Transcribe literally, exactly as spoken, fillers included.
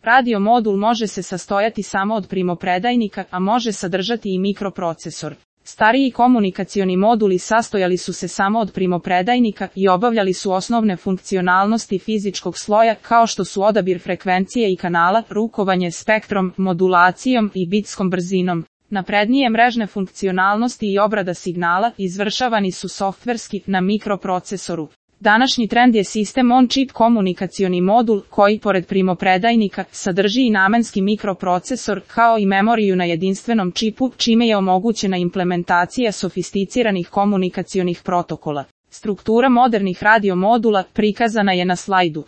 Radio modul može se sastojati samo od primopredajnika, a može sadržati i mikroprocesor. Stariji komunikacioni moduli sastojali su se samo od primopredajnika i obavljali su osnovne funkcionalnosti fizičkog sloja kao što su odabir frekvencije i kanala, rukovanje spektrom, modulacijom i bitskom brzinom. Naprednije mrežne funkcionalnosti i obrada signala izvršavani su softverski na mikroprocesoru. Današnji trend je sistem on-chip komunikacioni modul koji, pored primopredajnika, sadrži i namenski mikroprocesor kao i memoriju na jedinstvenom čipu, čime je omogućena implementacija sofisticiranih komunikacionih protokola. Struktura modernih radio modula prikazana je na slajdu.